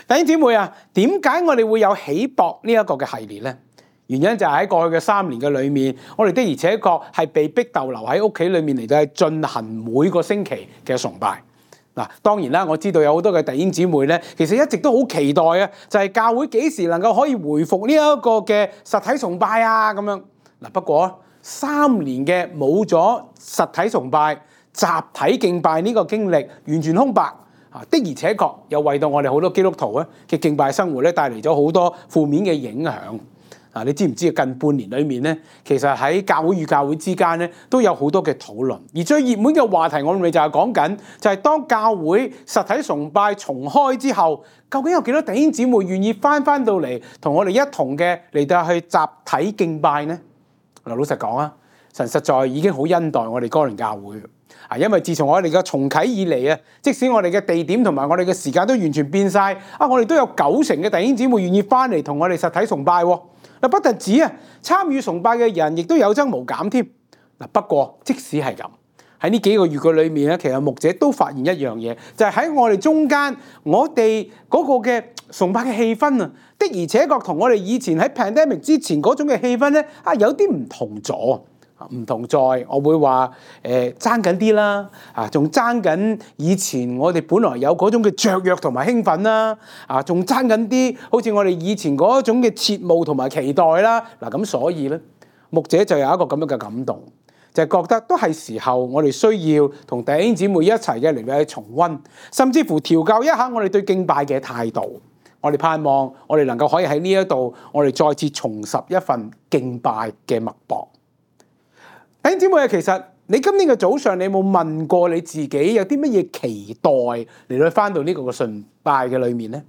弟兄姊妹啊，點解我哋會有起搏呢一個嘅系列呢？原因就係喺過去嘅3年嘅裏面，我哋的而且確係被逼逗留喺屋企裏面嚟到去進行每個星期嘅崇拜。嗱，當然啦，我知道有好多嘅弟兄姊妹咧，其實一直都好期待啊，就係教會幾時能夠可以回復呢一個嘅實體崇拜啊咁樣。嗱，不過3年嘅冇咗實體崇拜、集體敬拜呢個經歷，完全空白啊！的而且確又為到我哋好多基督徒咧嘅敬拜生活咧帶嚟咗好多負面嘅影響。你知唔知近半年裏面咧，其實喺教會與教會之間咧都有好多嘅討論，而最熱門嘅話題我哋就係講緊，就係當教會實體崇拜重開之後，究竟有幾多弟兄姊妹願意翻到嚟同我哋一同嘅嚟到去集體敬拜呢？嗱，老實講啊，神實在已經好恩待我哋哥倫教會啊，因為自從我哋嘅重啟以嚟啊，即使我哋嘅地點同埋我哋嘅時間都完全變晒啊，我哋都有90%嘅弟兄姊妹願意翻嚟同我哋實體崇拜喎。嗱，不特止啊，參與崇拜嘅人亦都有增無減添。嗱，不過即使係咁，喺呢幾個月嘅裏面咧，其實牧者都發現一樣嘢，就係喺我哋中間，我哋嗰個嘅崇拜嘅氣氛啊，的而且確同我哋以前喺 pandemic 之前嗰種嘅氣氛咧啊，有啲唔同咗。唔同在，我會話爭緊啲啦，仲爭緊以前我哋本來有嗰種嘅雀躍同埋興奮啦，仲爭緊啲好似我哋以前嗰種嘅切慕同埋期待啦。嗱，咁所以咧，牧者就有一個咁樣嘅感動，就係覺得都係時候我哋需要同弟兄姊妹一齊嘅嚟到去重溫，甚至乎調教一下我哋對敬拜嘅態度。我哋盼望我哋能夠可以喺呢一度，我哋再次重拾一份敬拜嘅脈搏。弟兄姊妹啊，其實你今天嘅早上，你有冇問過你自己有啲乜嘢期待嚟到翻到呢個嘅崇拜嘅裏面呢？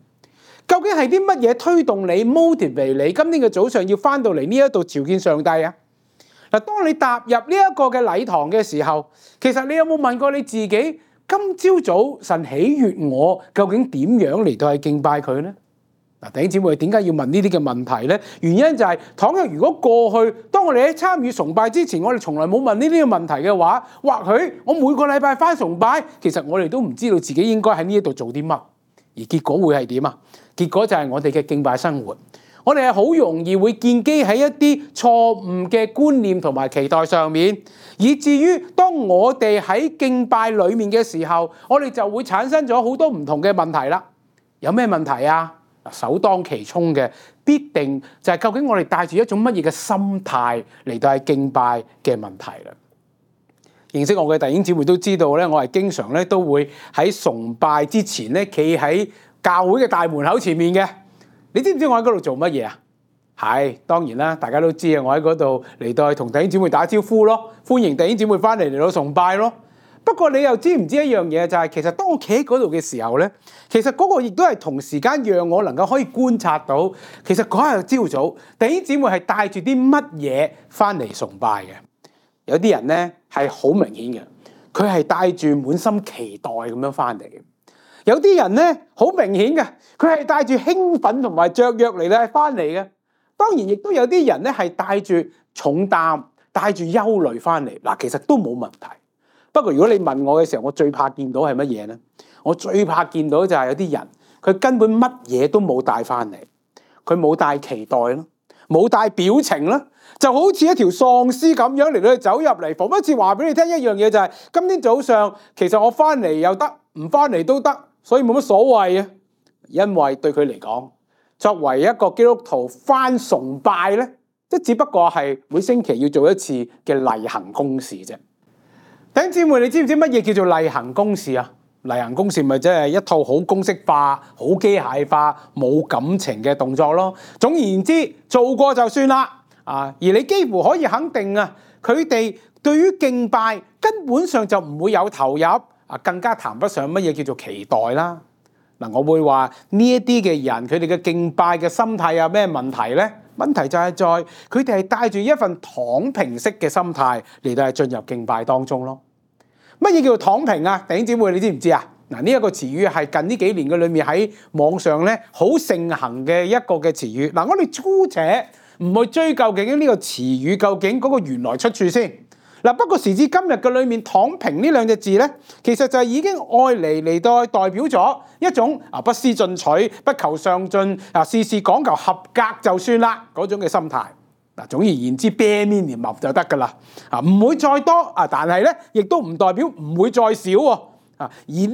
究竟係啲乜嘢推動你 motivate 你今天嘅早上要翻到嚟呢一度朝見上帝啊？嗱，當你踏入呢一個嘅禮堂嘅時候，其實你有冇問過你自己，今朝早神喜悅我，究竟點樣嚟到去敬拜佢呢？嗱，弟兄姊妹點解要問呢啲嘅問題呢？原因就係，倘若如果過去當我哋喺參與崇拜之前，我哋從來冇問呢啲嘅問題嘅話，或許我每個禮拜返崇拜，其實我哋都唔知道自己應該喺呢一度做啲乜，而結果會係點啊？結果就係我哋嘅敬拜生活，我哋係好容易會建基喺一啲錯誤嘅觀念同埋期待上面，以至於當我哋喺敬拜裡面嘅時候，我哋就會產生咗好多唔同嘅問題啦。有咩問題啊？首當其衝嘅必定就係究竟我哋帶住一種乜嘢嘅心態嚟到係敬拜嘅問題啦。認識我嘅弟兄姊妹都知道咧，我係經常咧都會喺崇拜之前咧企喺教會嘅大門口前面嘅。你知唔知我喺嗰度做乜嘢啊？係當然啦，大家都知啊，我喺嗰度嚟到同弟兄姊妹打招呼咯，歡迎弟兄姊妹翻嚟到崇拜咯。不過你又知唔知一樣嘢，就係其實當我企喺嗰度嘅時候咧，其實嗰個亦都係同時間讓我能夠可以觀察到，其實嗰日朝早弟兄姊妹係帶住啲乜嘢翻嚟崇拜嘅。有啲人咧係好明顯嘅，佢係帶住滿心期待咁樣翻嚟嘅。有啲人咧好明顯嘅，佢係帶住興奮同埋雀躍嚟咧翻嚟嘅。當然亦都有啲人咧係帶住重擔、帶住憂慮翻嚟。嗱，其實都冇問題。不過如果你問我嘅時候，我最怕見到係乜嘢呢？我最怕見到就係有啲人，佢根本乜嘢都冇帶翻嚟，佢冇帶期待咯，冇帶表情啦，就好似一條喪屍咁樣嚟到走入嚟，彷彿似話俾你聽一樣嘢，就係今天早上其實我翻嚟又得，唔翻嚟都得，所以冇乜所謂啊。因為對佢嚟講，作為一個基督徒翻崇拜呢，即只不過係每星期要做一次嘅例行公事啫。弟兄姊妹，你知唔知乜嘢叫做例行公事啊？例行公事咪即係一套好公式化、好機械化、冇感情嘅動作咯。總而言之，做過就算啦。而你幾乎可以肯定啊，佢哋對於敬拜根本上就唔會有投入，更加談不上乜嘢叫做期待啦。嗱，我會話呢一啲嘅人，佢哋嘅敬拜嘅心態有咩問題呢？問題就係在佢哋係帶住一份躺平式嘅心態嚟到係進入敬拜當中咯。乜嘢叫做躺平啊？弟兄姊妹，你知唔知啊？嗱，呢一個詞語係近呢幾年嘅裏面喺網上咧好盛行嘅一個嘅詞語。嗱，我哋姑且唔去追究究竟呢個詞語究竟嗰個原來出處先。嗱，不過時至今日嘅裏面，躺平呢兩隻字咧，其實就已經愛嚟到代表咗一種不思進取、不求上進、事事講求合格就算啦嗰種嘅心態。嗱，總而言之，bare minimum就得㗎啦，唔會再多但係咧，亦都唔代表唔會再少喎。而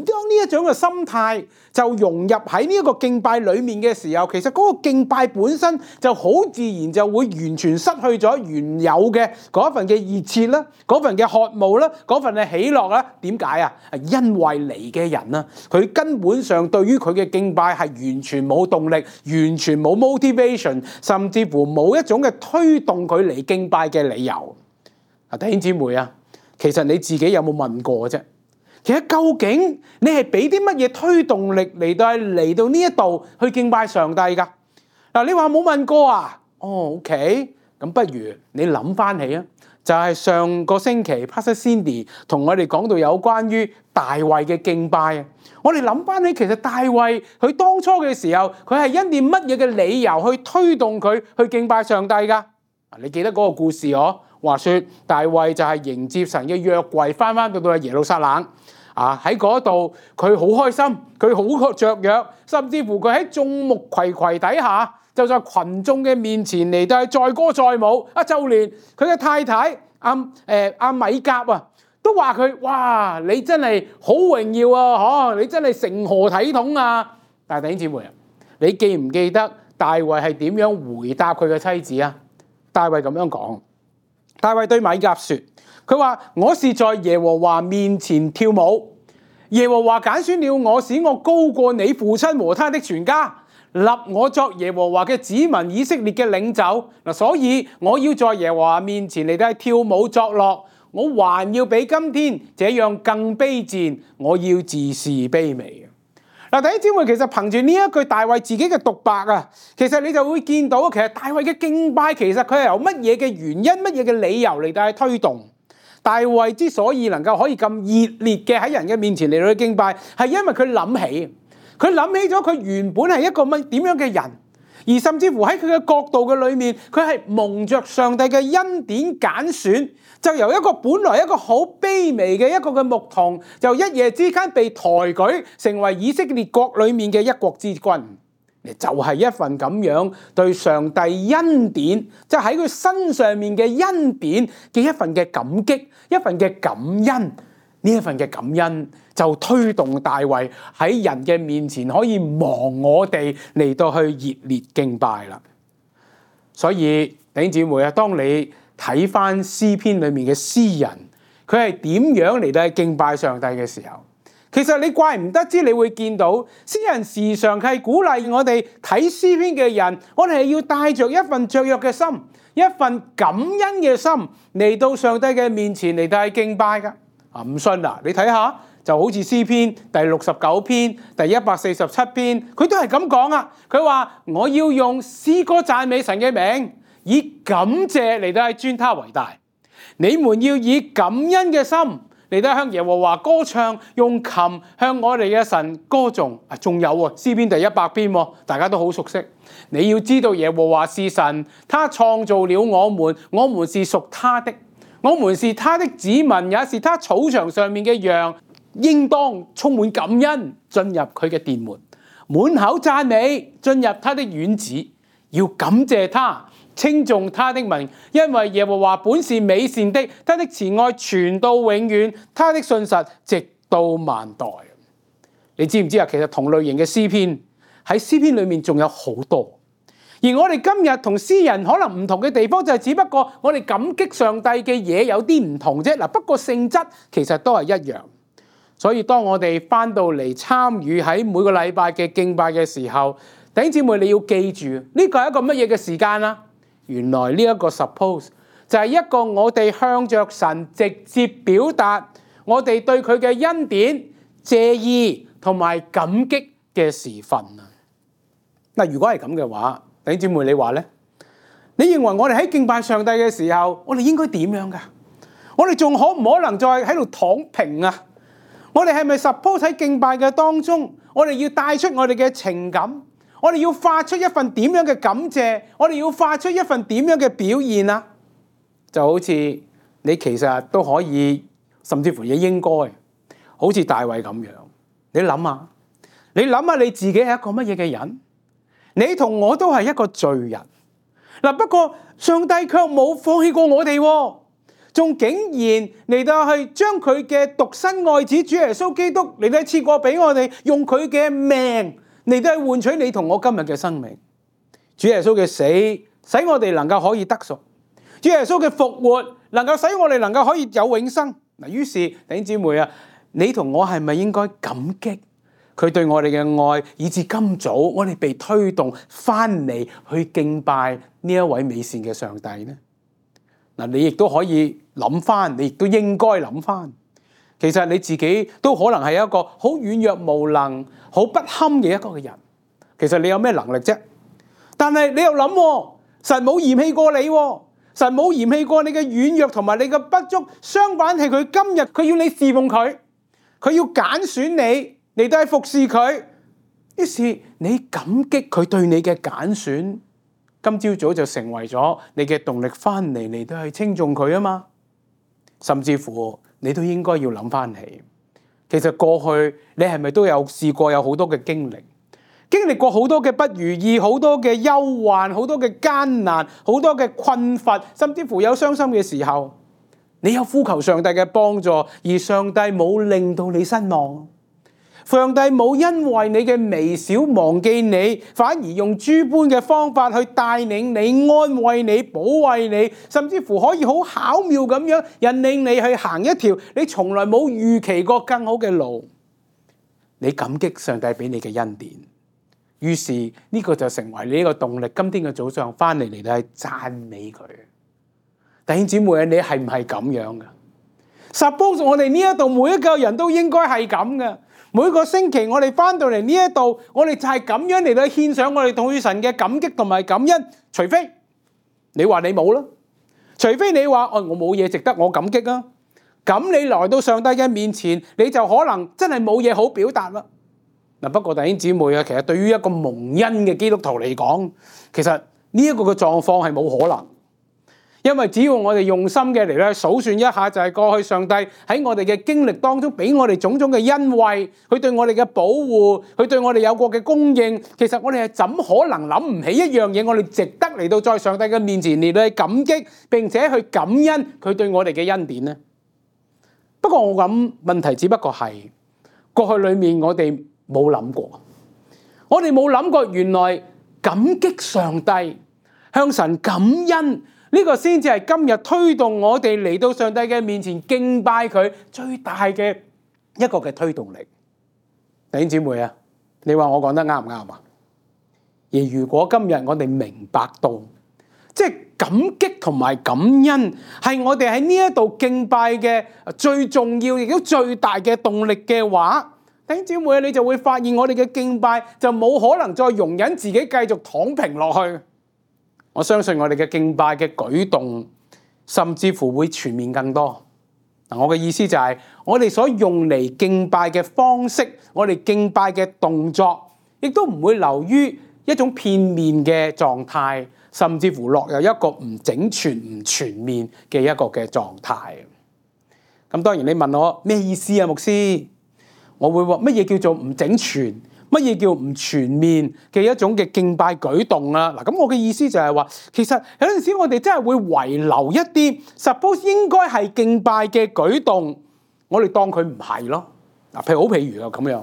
當呢一種嘅心態就融入喺呢一個敬拜裡面嘅時候，其實嗰個敬拜本身就好自然就會完全失去咗原有嘅嗰份嘅熱切啦，嗰份嘅渴慕啦，嗰份嘅喜樂啦。點解啊？因為嚟嘅人啦，佢根本上對於佢嘅敬拜係完全冇動力，完全冇 motivation， 甚至乎冇一種嘅推動佢嚟敬拜嘅理由。弟兄姊妹啊，其實你自己有冇問過啫？其實究竟你係俾啲乜嘢推動力嚟到呢一度去敬拜上帝㗎？嗱，你話冇問過啊？OK， 咁不如你諗翻起啊，就係上個星期 Pastor Cindy 同我哋講到有關於大衛嘅敬拜啊。我哋諗翻起，其實大衛佢當初嘅時候，佢係因點乜嘢嘅理由去推動佢去敬拜上帝㗎？你記得嗰個故事嗬？話說大衛就係迎接神嘅約櫃翻到耶路撒冷。喺嗰度佢好開心，佢好雀躍，甚至乎佢喺眾目睽睽底下，就在群眾嘅面前嚟到載歌載舞。就連佢嘅太太阿米甲都話佢：哇，你真係好榮耀啊！你真係成何體統啊！但係弟兄姊妹啊，你記唔記得大衛係點樣回答佢嘅妻子啊？大衛咁樣講，大衛對米甲說。佢話：我是在耶和華面前跳舞，耶和華揀選了我，使我高過你父親和他的全家，立我作耶和華嘅子民以色列嘅領袖。所以我要在耶和華面前嚟到跳舞作樂，我還要比今天這樣更卑賤，我要自視卑微。弟兄姊妹，其實憑住呢一句大衛自己嘅獨白啊，其實你就會見到，其實大衛嘅敬拜其實佢係由乜嘢嘅原因、乜嘢嘅理由嚟到推動。大衛之所以能夠可以咁熱烈嘅喺人嘅面前嚟到去敬拜，係因為佢諗起咗佢原本係一個點樣嘅人，而甚至乎喺佢嘅角度嘅裏面，佢係蒙着上帝嘅恩典揀選，就由一個本來一個好卑微嘅一個嘅牧童，就一夜之間被抬舉成為以色列國裏面嘅一國之君。就係一份咁樣對上帝恩典，即係喺佢身上面嘅恩典嘅一份嘅感激，一份嘅感恩。呢一份嘅感恩就推動大衛喺人嘅面前可以忘我哋嚟到去熱烈敬拜啦。所以弟兄姊妹啊，當你睇翻詩篇裏面嘅詩人，佢係點樣嚟到去敬拜上帝嘅時候，其實你怪唔得知，你會見到詩人時常係鼓勵我哋睇詩篇嘅人，我哋係要帶着一份雀躍嘅心，一份感恩嘅心嚟到上帝嘅面前嚟到去敬拜噶。唔信啊？你睇下，就好似詩篇第69篇、第147篇，佢都係咁講啊。佢話：我要用詩歌讚美神嘅名，以感謝嚟到去尊他為大。你們要以感恩嘅心嚟到向耶和華歌唱，用琴向我哋嘅神歌頌。仲有詩篇第100篇，大家都好熟悉。你要知道耶和華是神，他創造了我們，我們是屬他的，我們是他的子民，也是他草場上面嘅羊。應當充滿感恩進入佢嘅殿門，滿口讚美進入他的院子，要感謝他，稱頌他的名，因為耶和華本是美善的，他的慈愛傳到永遠，他的信實直到萬代。你知唔知啊？其實同類型嘅詩篇喺詩篇裏面仲有好多，而我哋今日同詩人可能唔同嘅地方就係，只不過我哋感激上帝嘅嘢有啲唔同啫。不過性質其實都係一樣。所以當我哋翻到嚟參與喺每個禮拜嘅敬拜嘅時候，弟兄姊妹你要記住，呢個係一個乜嘢嘅時間啊？原來呢一個 suppose 就係一個我哋向着神直接表達我哋對佢嘅恩典、謝意同埋感激嘅時分啊！嗱，如果係咁嘅話，弟兄姊妹你話呢？你認為我哋喺敬拜上帝嘅時候，我哋應該點樣㗎？我哋仲可唔可能再喺度躺平啊？我哋係咪 suppose 喺敬拜嘅當中，我哋要帶出我哋嘅情感，我哋要發出一份點樣嘅感謝，我哋要發出一份點樣嘅表現啊？就好似你其實都可以，甚至乎也應該，好似大衛咁樣。你諗下你自己係一個乜嘢嘅人？你同我都係一個罪人。嗱，不過上帝卻冇放棄過我哋，仲竟然嚟到去將佢嘅獨生愛子主耶穌基督嚟到賜過俾我哋，用佢嘅命嚟到去換取你同我今日嘅生命。主耶穌嘅死，使我哋能夠可以得贖；主耶穌嘅復活，能夠使我哋能夠可以有永生。嗱，於是弟兄姊妹啊，你同我係咪應該感激佢對我哋嘅愛，以至今早我哋被推動翻嚟去敬拜呢一位美善嘅上帝呢？嗱，你亦都可以諗翻，你亦都應該諗翻，其實你自己都可能係一個好軟弱無能、好不堪嘅一個嘅人。其實你有咩能力啫？但係你又諗，神冇嫌棄過你，神冇嫌棄過你嘅軟弱同埋你嘅不足，相反係佢今日佢要你侍奉佢，佢要揀選你嚟到去服侍佢。於是你感激佢對你嘅揀選，今朝早就成為咗你嘅動力翻嚟到去稱頌佢啊嘛。甚至乎你都應該要諗翻起，其實過去你係咪都有試過有好多嘅經歷過好多嘅不如意，好多嘅憂患，好多嘅艱難，好多嘅困乏，甚至乎有傷心嘅時候，你有呼求上帝嘅幫助，而上帝冇令到你失望，上帝冇因為你嘅微小忘記你，反而用諸般嘅方法去帶領你、安慰你、保衛你，甚至乎可以好巧妙咁樣引領你去行一條你從來冇預期過更好嘅路。你感激上帝俾你嘅恩典，於是呢個就成為你呢個動力。今天嘅早上翻嚟到係讚美佢。弟兄姊妹啊，你係唔係咁樣噶？Suppose 我哋呢一度每一個人都應該係咁嘅。每個星期我哋翻到嚟呢一度，我哋就係咁樣嚟到獻上我哋對神嘅感激同埋感恩。除非你話你冇啦，除非你話我冇嘢值得我感激啊，咁你來到上帝嘅面前，你就可能真係冇嘢好表達啦。嗱，不過弟兄姊妹啊，其實對於一個蒙恩嘅基督徒嚟講，其實呢一個嘅狀況係冇可能。因為只要我哋用心嘅嚟咧數算一下，就係過去上帝喺我哋嘅經歷當中俾我哋種種嘅恩惠，佢對我哋嘅保護，佢對我哋有過嘅供應，其實我哋係怎可能諗唔起一樣嘢，我哋值得嚟到在上帝嘅面前嚟到去感激，並且去感恩佢對我哋嘅恩典呢？不過我諗問題只不過係過去裏面我哋冇諗過，我哋冇諗過原來感激上帝，向神感恩。呢個先至係今日推動我哋嚟到上帝嘅面前敬拜佢最大嘅一個嘅推動力。弟兄姊妹啊，你話我講得啱唔啱啊？而如果今日我哋明白到，即係感激同埋感恩係我哋喺呢一度敬拜嘅最重要亦都最大嘅動力嘅話，弟兄姊妹，你就會發現我哋嘅敬拜就冇可能再容忍自己繼續躺平落去。我相信我哋嘅敬拜嘅舉動，甚至乎會全面更多。我嘅意思就係，我哋所用嚟敬拜嘅方式，我哋敬拜嘅動作，亦都唔會流於一種片面嘅狀態，甚至乎落入一個唔整全、唔全面嘅一個嘅狀態。咁當然你問我咩意思啊，牧師？我會話乜嘢叫做唔整全？乜嘢叫唔全面嘅一種嘅敬拜舉動啊？嗱，咁我嘅意思就係話，其實有陣時我哋真係會遺留一啲 suppose 應該係敬拜嘅舉動，我哋當佢唔係咯。嗱，譬如啊咁樣，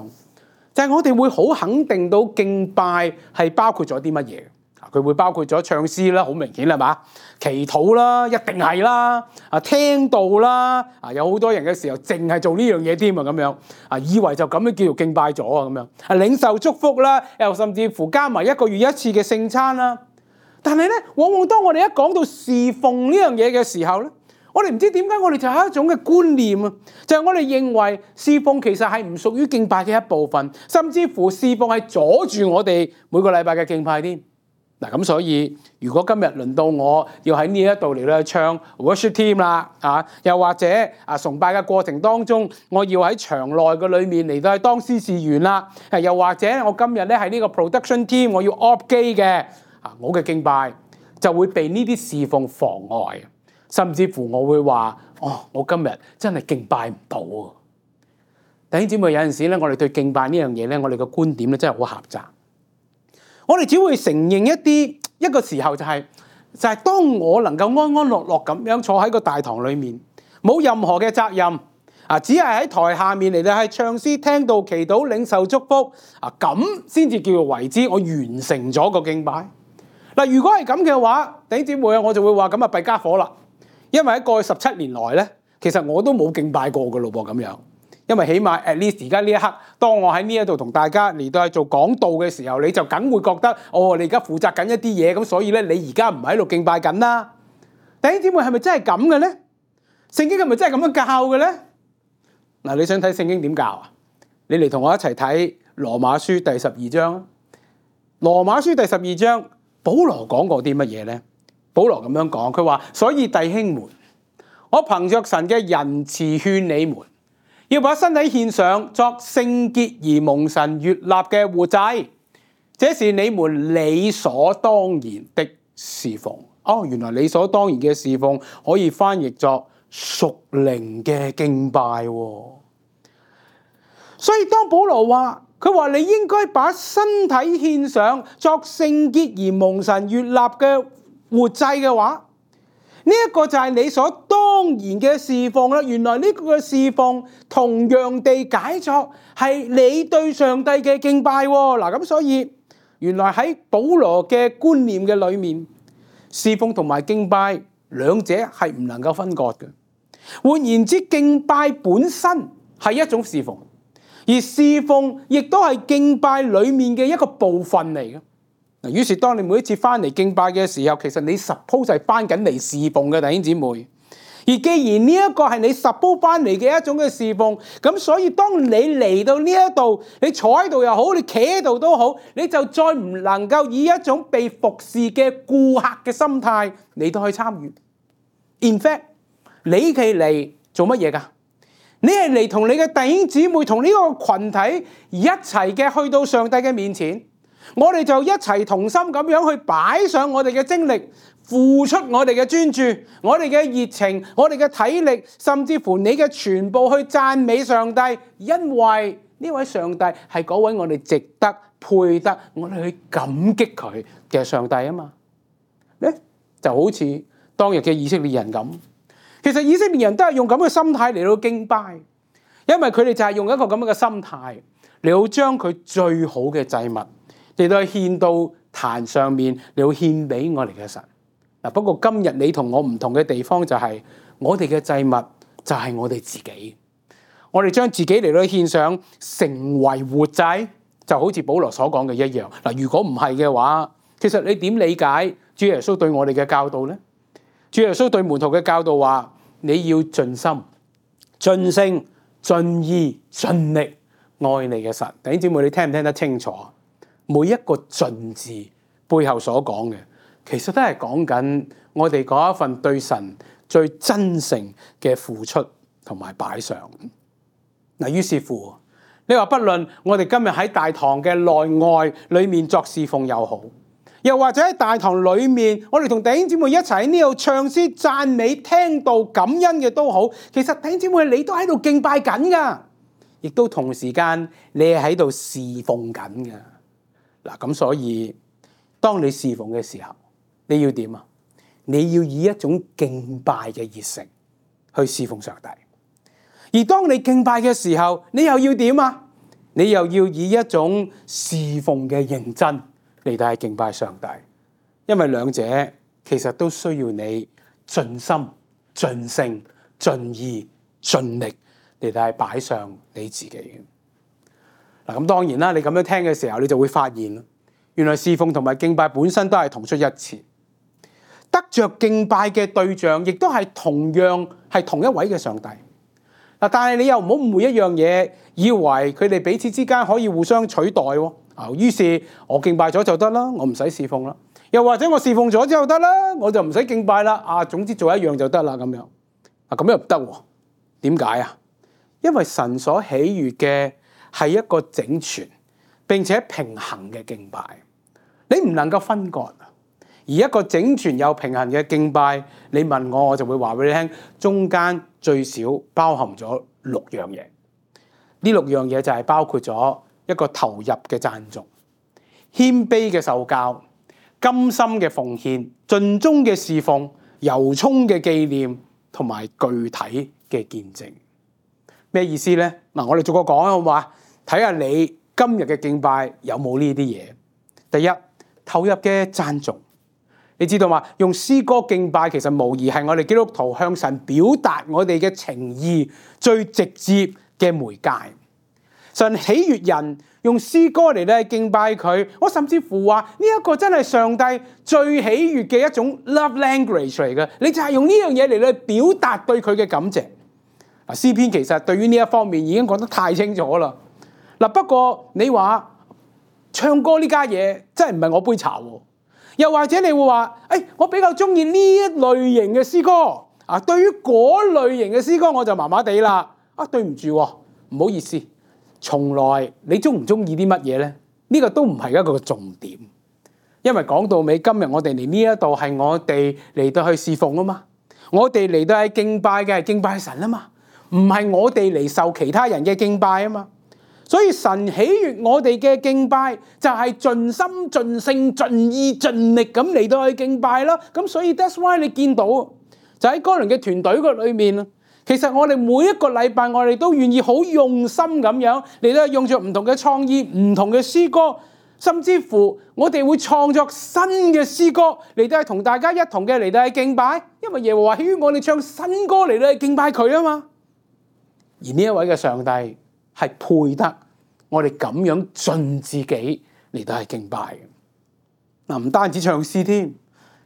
就係我哋會好肯定到敬拜係包括咗啲乜嘢。佢會包括咗唱詩啦，好明顯係嘛？祈禱啦，一定係啦。聽道啦，有好多人嘅時候淨係做呢樣嘢添啊，咁樣以為就咁樣叫做敬拜咗啊，咁樣領受祝福啦，又甚至乎加埋1個月一次嘅聖餐啦。但係咧，往往當我哋一講到侍奉呢樣嘢嘅時候咧，我哋唔知點解我哋就有一種嘅觀念啊，就係我哋認為侍奉其實係唔屬於敬拜嘅一部分，甚至乎侍奉係阻住我哋每個禮拜嘅敬拜添。嗱，咁所以如果今日輪到我要喺呢一度嚟咧唱 worship team 啦，又或者崇拜嘅過程當中，我要喺場內嘅裏面嚟到去當司事員啦，又或者我今日咧係呢個 production team，我要 op 機嘅，我嘅敬拜就會被呢啲侍奉妨礙，甚至乎我會話我今日真係敬拜唔到啊！弟兄姊妹，有陣時咧，我哋對敬拜呢樣嘢咧，我哋嘅觀點咧真係好狹窄。我哋只會承認一個時候就係當我能夠安安樂樂咁樣坐喺個大堂裏面，冇任何嘅責任只係喺台下面嚟到係唱詩、聽道、祈禱、領受祝福咁先至叫做為之我完成咗個敬拜。如果係咁嘅話，弟兄姊妹我就會話咁弊家伙啦，因為喺過去17年來咧，其實我都冇敬拜過㗎咯噃咁樣。因為起碼 at least 而家呢一刻，當我喺呢一度同大家嚟到去做講道嘅時候，你就梗會覺得你而家負責緊一啲嘢，咁所以咧你而家唔喺度敬拜緊啦。弟兄姊妹係咪真係咁嘅咧？聖經係咪真係咁樣教嘅咧？你想睇聖經點教啊？你嚟同我一齊睇羅馬書第12章。羅馬書第12章，保羅講過啲乜嘢咧？保羅咁樣講，佢話：所以弟兄們，我憑着神嘅仁慈勸你們，要把身體獻上作聖潔而蒙神悅納嘅活祭，這是你們理所當然的侍奉。原來理所當然嘅侍奉可以翻譯作屬靈嘅敬拜。所以當保羅話，佢話你應該把身體獻上作聖潔而蒙神悅納嘅活祭嘅話，呢一個就係理所當然嘅侍奉啦。原來呢個嘅侍奉同樣地解作係你對上帝嘅敬拜。咁所以原來喺保羅嘅觀念嘅裏面，侍奉同埋敬拜兩者係唔能夠分割嘅。換言之，敬拜本身係一種侍奉，而侍奉亦都係敬拜裏面嘅一個部分嚟嘅。於是當你每一次翻嚟敬拜嘅時候，其實你 suppose 係翻緊嚟侍奉嘅，弟兄姊妹。而既然呢一個係你 suppose 翻嚟嘅一種嘅侍奉，咁所以當你嚟到呢一度，你坐喺度又好，你企喺度都好，你就再唔能夠以一種被服侍嘅顧客嘅心態嚟到去參與。In fact， 你係嚟做乜嘢㗎？你係嚟同你嘅弟兄姊妹，同呢個群體一齊嘅去到上帝嘅面前。我哋就一齊同心咁樣去擺上我哋嘅精力，付出我哋嘅專注，我哋嘅熱情，我哋嘅體力，甚至乎你嘅全部去讚美上帝，因為呢位上帝係嗰位我哋值得配得我哋去感激佢嘅上帝啊嘛。咧就好似當日嘅以色列人咁，其實以色列人都係用咁嘅心態嚟到敬拜，因為佢哋就係用一個咁樣嘅心態嚟到將佢最好嘅祭物嚟到獻到壇上面，嚟到獻俾我哋嘅神。不過今日你同我唔同嘅地方就係，我哋嘅祭物就係我哋自己，我哋將自己嚟到獻上，成為活祭，就好似保羅所講嘅一樣。如果唔係嘅話，其實你點理解主耶穌對我哋嘅教導呢？主耶穌對門徒嘅教導話：你要盡心、盡性、盡意、盡力愛你嘅神。弟兄姊妹，你聽唔聽得清楚？每一個盡字背後所講嘅，其實都係講緊我哋嗰一份對神最真誠嘅付出同埋擺上。於是乎，你話不論我哋今日喺大堂嘅內外裏面作侍奉又好，又或者喺大堂裏面，我哋同弟兄姊妹一齊喺呢度唱詩、讚美、聽道、感恩嘅都好，其實弟兄姊妹你都喺度敬拜緊噶，亦都同時間你係喺度侍奉緊噶。咁所以當你侍奉嘅時候，你要點啊？你要以一種敬拜嘅熱誠去侍奉上帝。而當你敬拜嘅時候，你又要點啊？你又要以一種侍奉嘅認真嚟到敬拜上帝。因為兩者其實都需要你盡心、盡性、盡意、盡力嚟到擺上你自己。咁當然啦，你咁樣聽嘅時候，你就會發現，原來侍奉同埋敬拜本身都係同出一轍，得着敬拜嘅對象，亦都係同樣係同一位嘅上帝。但係你又唔好誤會一樣嘢，以為佢哋彼此之間可以互相取代喎。於是我敬拜咗就得啦，我唔使侍奉啦；又或者我侍奉咗之後得啦，我就唔使敬拜啦。總之做一樣就得啦咁樣。咁又唔得喎？點解啊？因為神所喜悅嘅係一個整全並且平衡嘅敬拜，你唔能夠分割。而一個整全又平衡嘅敬拜，你問我，我就會話俾你聽，中間最少包含咗6樣嘢。呢6樣嘢就係包括咗一個投入嘅讚頌、謙卑嘅受教、甘心嘅奉獻、盡忠嘅侍奉、由衷嘅紀念同埋具體嘅見證。咩意思呢？嗱，我哋逐個講好嘛？睇下你今日嘅敬拜有冇呢啲嘢。第一，投入嘅讚頌。你知道嘛？用詩歌敬拜其實無疑係我哋基督徒向神表達我哋嘅情意最直接嘅媒介。神喜悅人用詩歌嚟咧敬拜佢，我甚至乎話呢一個真係上帝最喜悅嘅一種 love language 嚟嘅。你就係用呢樣嘢嚟咧表達對佢嘅感謝。嗱，詩篇其實對於呢一方面已經講得太清楚啦。嗱，不過你話唱歌呢家嘢真係唔係我杯茶喎。又或者你會話，我比較中意呢一類型嘅詩歌啊，對於嗰類型嘅詩歌我就麻麻地啦。對唔住，唔好意思，從來你中唔中意啲乜嘢呢？呢個都唔係一個重點，因為講到尾，今日我哋嚟呢一度係我哋嚟到去侍奉啊嘛，我哋嚟到係敬拜嘅係敬拜神啊嘛，唔係我哋嚟受其他人嘅敬拜啊嘛。所以神喜悅我哋嘅敬拜就係盡心盡性盡意盡力咁嚟到去敬拜啦。咁所以 that's why 你見到就喺哥倫嘅團隊個裏面，其實我哋每一個禮拜我哋都願意好用心咁樣嚟到用着唔同嘅創意、唔同嘅詩歌，甚至乎我哋會創作新嘅詩歌嚟到同大家一同嘅嚟到去敬拜，因為耶和華喜悅我哋唱新歌嚟到去敬拜佢啊嘛。而呢一位嘅上帝係配得我哋咁樣盡自己嚟到係敬拜嘅。唔單止唱詩添，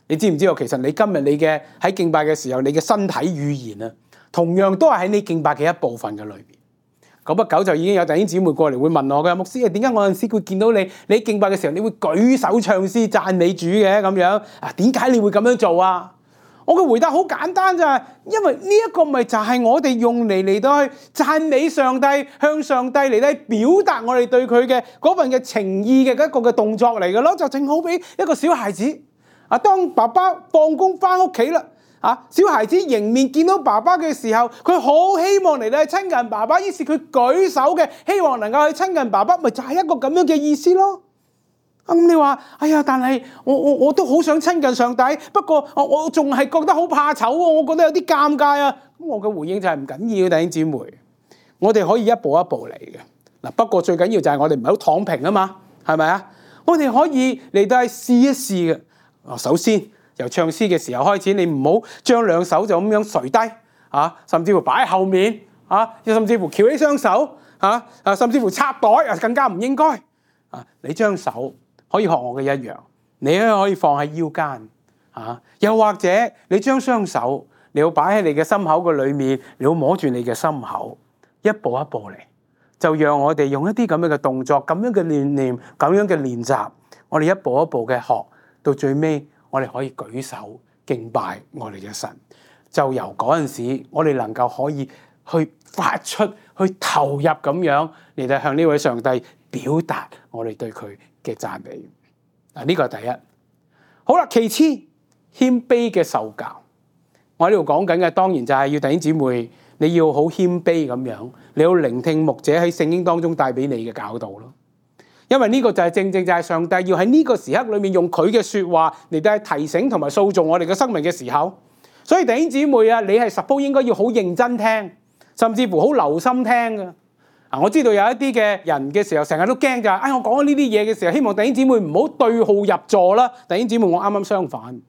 你知唔知道其實你今日你嘅喺敬拜嘅時候，你嘅身體語言啊，同樣都係喺你敬拜嘅一部分嘅裏邊。久不久就已經有弟兄姊妹過嚟會問我嘅，牧師啊，點解我有陣時會見到你敬拜嘅時候，你會舉手唱詩讚美主嘅咁樣啊？點解你會咁樣做啊？我嘅回答好簡單咋，因為呢一個咪就係我哋用嚟到去讚美上帝，向上帝嚟到表達我哋對佢嘅嗰份嘅情意嘅一個嘅動作嚟嘅咯，就正好比一個小孩子啊，當爸爸放工翻屋企啦，小孩子迎面見到爸爸嘅時候，佢好希望嚟到去親近爸爸，於是佢舉手嘅，希望能夠去親近爸爸，咪就係一個咁樣嘅意思咯。咁你話，但係我都好想親近上帝，不過我仲係覺得好怕醜喎，我覺得有啲尷尬啊。咁我嘅回應就係唔緊要，弟兄姊妹，我哋可以一步一步嚟嘅。嗱，不過最緊要就係我哋唔係好躺平啊嘛，係咪啊？我哋可以嚟到係試一試嘅。首先由唱詩嘅時候開始，你唔好將兩手就咁樣垂低甚至乎擺喺後面甚至乎翹起雙手甚至乎插袋更加唔應該你將手可以學我嘅一樣，你可以放喺腰間又或者你將雙手你要擺喺你嘅心口嘅裏面，你要摸住你嘅心口，一步一步嚟，就讓我哋用一啲咁樣嘅動作、咁樣嘅練念、咁樣嘅練習，我哋一步一步嘅學，到最尾我哋可以舉手敬拜我哋嘅神。就由嗰陣時，我哋能夠可以去發出、去投入咁樣嚟到向呢位上帝表達我哋對佢嘅讚美。呢個係第一。好啦，其次謙卑嘅受教。我喺呢度講緊嘅當然就係要弟兄姊妹，你要好謙卑咁樣，你要聆聽牧者喺聖經當中帶俾你嘅教導咯。因為呢個就係正正就係上帝要喺呢個時刻裏面用佢嘅說話嚟到提醒同埋塑造我哋嘅生命嘅時候。所以弟兄姊妹啊，你係 suppose 應該要好認真聽，甚至乎好留心聽嘅。我知道有一啲嘅人嘅時候，成日都驚就係，我講呢啲嘢嘅時候，希望弟兄姊妹唔好對號入座啦。弟兄姊妹，我啱啱相反，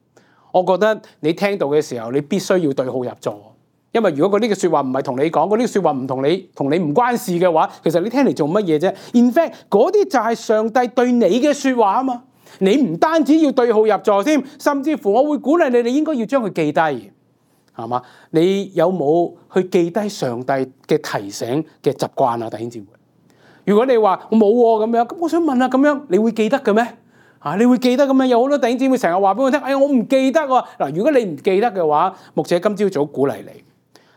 我覺得你聽到嘅時候，你必須要對號入座。因為如果嗰啲嘅說話唔係同你講，嗰啲說話唔同你唔關事嘅話，其實你聽嚟做乜嘢啫 ？In fact， 嗰啲就係上帝對你嘅說話啊嘛。你唔單止要對號入座添，甚至乎我會鼓勵你應該要將佢記低，係嘛？你有冇去記低上帝嘅提醒嘅習慣啊，弟兄姊妹？如果你話我冇咁樣，咁我想問下，咁樣你會記得嘅咩？你會記得咁樣？有好多弟兄姊妹成日話俾我聽，我唔記得喎。嗱，如果你唔記得嘅話，牧者今朝早鼓勵你，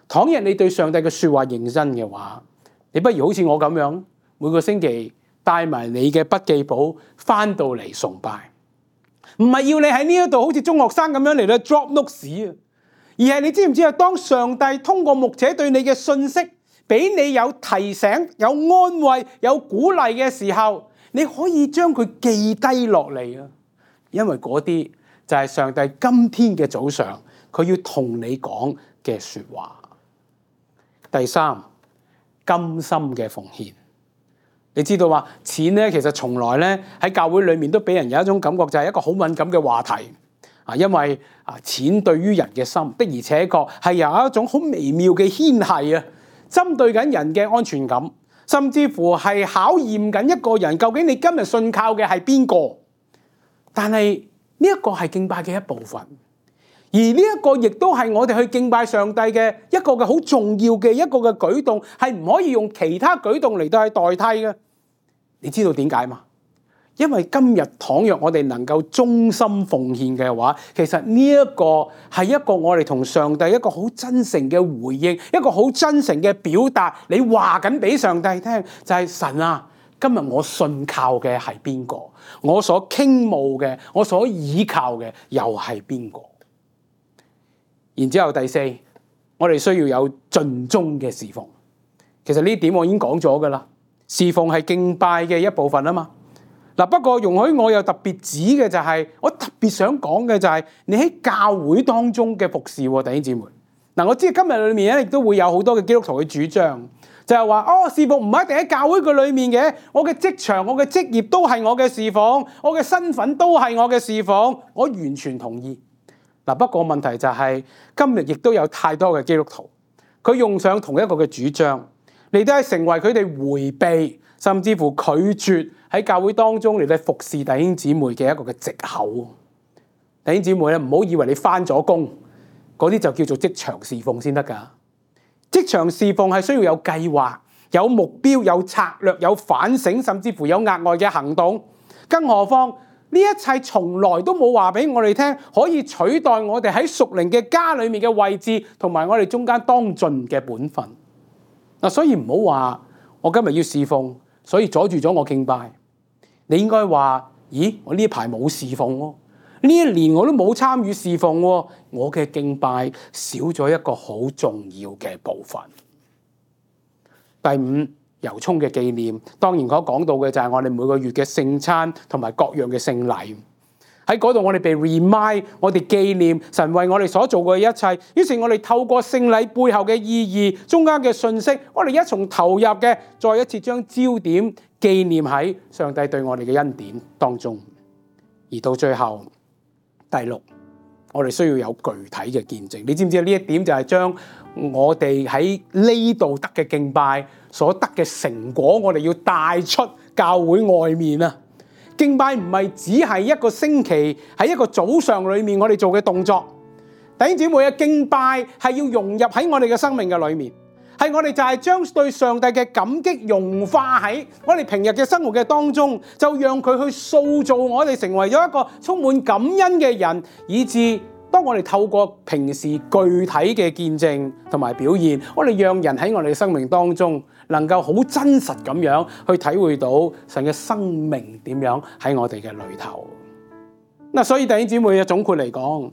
倘若你對上帝嘅說話認真嘅話，你不如好似我咁樣，每個星期帶埋你嘅筆記簿翻到嚟崇拜，唔係要你喺呢一度好似中學生咁樣嚟到 drop notes 啊，而係你知唔知啊？當上帝通過牧者對你嘅信息，俾你有提醒、有安慰、有鼓勵嘅時候，你可以將佢記低落嚟啊！因為嗰啲就係上帝今天嘅早上，佢要同你講嘅說話。第三，甘心嘅奉獻。你知道話錢咧，其實從來咧喺教會裏面都俾人有一種感覺，就係一個好敏感嘅話題啊！因為錢對於人嘅心的而且確係有一種好微妙嘅牽繫啊，針對緊人嘅安全感，甚至乎係考驗緊一個人究竟你今日信靠嘅係邊個。但係呢一個係敬拜嘅一部分，而呢一個亦都係我哋去敬拜上帝嘅一個嘅好重要嘅一個嘅舉動，係唔可以用其他舉動嚟到去代替嘅。你知道點解嗎？因為今日倘若我哋能夠忠心奉獻嘅話，其實呢一個係一個我哋同上帝一個好真誠嘅回應，一個好真誠嘅表達。你話緊俾上帝聽，就係神啊，今日我信靠嘅係邊個？我所傾慕嘅，我所倚靠嘅又係邊個？然之後第四，我哋需要有盡忠嘅侍奉。其實呢點我已經講咗噶啦，侍奉係敬拜嘅一部分啊嘛。嗱，不過容許我又特別指嘅就係，我特別想講嘅就係你喺教會當中嘅服侍喎，弟兄姊妹。嗱，我知今日裏面咧亦都會有好多嘅基督徒嘅主張，就係話侍奉唔一定喺教會嘅裏面嘅，我嘅職場、我嘅職業都係我嘅侍奉，我嘅身份都係我嘅侍奉，我完全同意。嗱，不過問題就係今日亦都有太多嘅基督徒，佢用上同一個嘅主張，嚟到係成為佢哋迴避，甚至乎拒絕喺教會當中嚟到服侍弟兄姊妹嘅一個嘅藉口。弟兄姊妹咧，唔好以為你返咗工，嗰啲就叫做職場侍奉先得㗎。職場侍奉係需要有計劃、有目標、有策略、有反省，甚至乎有額外嘅行動。更何況呢一切從來都冇話俾我哋聽，可以取代我哋喺屬靈嘅家裏面嘅位置，同埋我哋中間當盡嘅本分。嗱，所以唔好話我今日要侍奉，所以阻住咗我敬拜。你應該話：咦，我呢排冇侍奉喎，呢一年我都冇參與侍奉喎，我嘅敬拜少咗一個好重要嘅部分。第五，由衷嘅紀念，當然我講到嘅就係我哋每個月嘅聖餐同埋各樣嘅聖禮。喺嗰度我哋被 remind， 我哋紀念神為我哋所做嘅一切。於是我哋透過聖禮背後嘅意義、中間嘅信息，我哋一從投入嘅，再一次將焦點紀念喺上帝對我哋嘅恩典當中。而到最後，第六，我哋需要有具體嘅見證。你知唔知呢一點就係將我哋喺呢度得嘅敬拜所得嘅成果，我哋要帶出教會外面啊！敬拜唔係只係一個星期喺一個早上裏面我哋做嘅動作。弟兄姊妹嘅敬拜係要融入喺我哋嘅生命嘅裏面，係我哋就係將對上帝嘅感激融化喺我哋平日嘅生活嘅當中，就讓佢去塑造我哋成為咗一個充滿感恩嘅人，以致當我哋透過平時具體嘅見證同埋表現，我哋讓人喺我哋嘅生命當中能夠好真實咁樣去體會到神嘅生命點樣喺我哋嘅裏頭。嗱，所以弟兄姊妹嘅總括嚟講，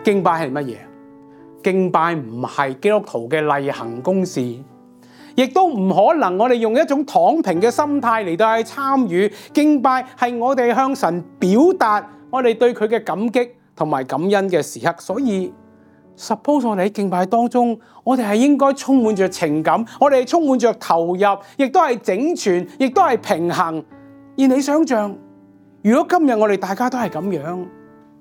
敬拜係乜嘢？敬拜唔係基督徒嘅例行公事，亦都唔可能我哋用一種躺平嘅心態嚟到去參與。敬拜係我哋向神表達我哋對佢嘅感激同埋感恩嘅時刻。所以 suppose 我哋喺敬拜當中，我哋係應該充滿着情感，我哋係充滿着投入，亦都係整全，亦都係平衡。而你想象，如果今日我哋大家都係咁樣，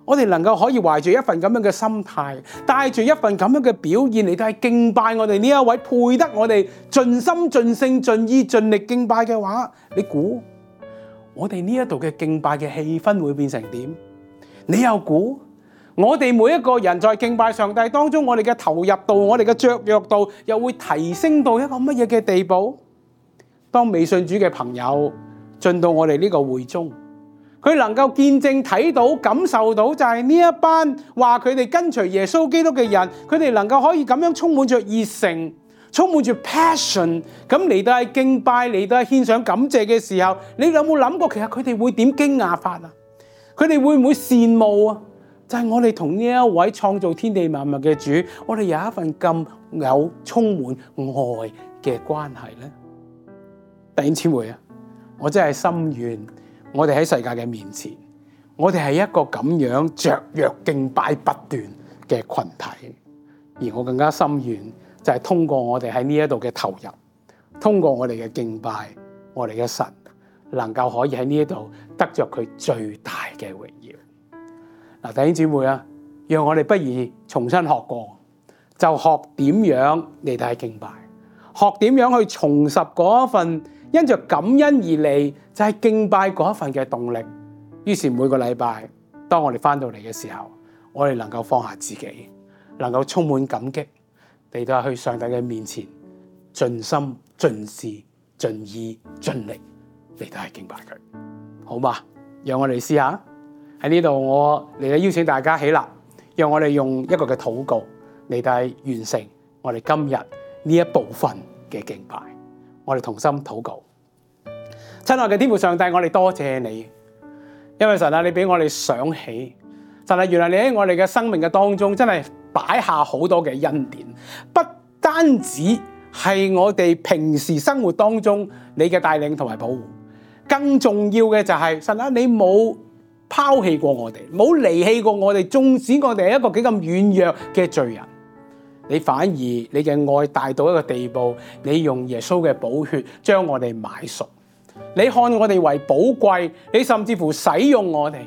我哋能夠可以懷住一份咁樣嘅心態，帶住一份咁樣嘅表現嚟到係敬拜我哋呢一位配得我哋盡心盡性盡意盡力敬拜嘅話，你估我哋呢一度嘅敬拜嘅氣氛會變成點？你又估我哋每一個人在敬拜上帝當中，我哋嘅投入度、我哋嘅雀躍度又會提升到一個乜嘢嘅地步？當未信主嘅朋友進到我哋呢個會中，佢能夠見證睇到、感受到，就係呢一班話佢哋跟隨耶穌基督嘅人，佢哋能夠可以咁樣充滿着熱誠、充滿住 passion， 咁嚟到係敬拜、嚟到係獻上感謝嘅時候，你有冇諗過其實佢哋會點驚訝法啊？佢哋會唔會羨慕啊？就係我哋同呢一位創造天地萬物嘅主，我哋有一份咁有充滿愛嘅關係咧。弟兄姊妹啊，我真係心願，我哋喺世界嘅面前，我哋係一個咁樣雀躍敬拜不斷嘅群體。而我更加心願就係通過我哋喺呢一度嘅投入，通過我哋嘅敬拜，我哋嘅神能夠可以喺呢一度得着佢最大嘅榮耀。嗱，弟兄姊妹啊，讓我哋不如重新學過，就學點樣嚟到敬拜，學點樣去重拾嗰一份因着感恩而嚟就係敬拜嗰一份嘅動力。於是每個禮拜，當我哋翻到嚟嘅時候，我哋能夠放下自己，能夠充滿感激嚟到去上帝嘅面前，盡心盡事盡意盡力嚟到去敬拜佢，好嘛？讓我哋試下喺呢度，我嚟到邀請大家起立，讓我哋用一個嘅禱告嚟到完成我哋今日呢一部分嘅敬拜。我哋同心禱告。親愛嘅天父上帝，我哋多謝你，因為神啊，你俾我哋想起，神啊，原來你喺我哋嘅生命嘅當中真係擺下好多嘅恩典，不單止係我哋平時生活當中你嘅帶領同埋保護，更重要嘅就係神啊，你冇拋棄過我哋，冇離棄過我哋，縱使我哋係一個幾咁軟弱嘅罪人，你反而你嘅愛大到一個地步，你用耶穌嘅寶血將我哋買贖，你看我哋為寶貴，你甚至乎使用我哋。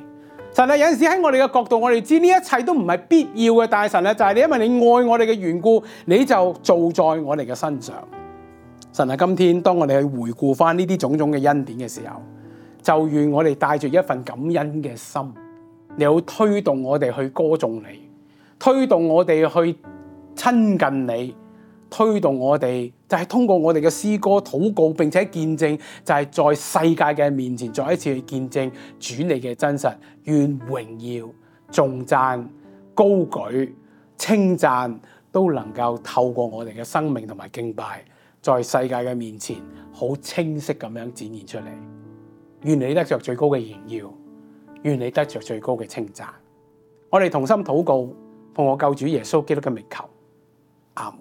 神啊，有陣時喺我哋嘅角度，我哋知呢一切都唔係必要嘅，但係神啊，就係你因為你愛我哋嘅緣故，你就做在我哋嘅身上。神啊，今天當我哋去回顧翻呢啲種種嘅恩典嘅時候，就願我哋帶住一份感恩嘅心，你好推動我哋去歌頌你，推動我哋去親近你，推動我哋就係通過我哋嘅詩歌禱告，並且見證，就係在世界嘅面前再一次去見證主你嘅真實。願榮耀、頌讚、高舉、稱讚都能夠透過我哋嘅生命同埋敬拜，在世界嘅面前好清晰咁樣展現出嚟。願你得着最高嘅榮耀，願你得着最高嘅稱讚。我哋同心禱告，奉我救主耶穌基督嘅名求，阿門。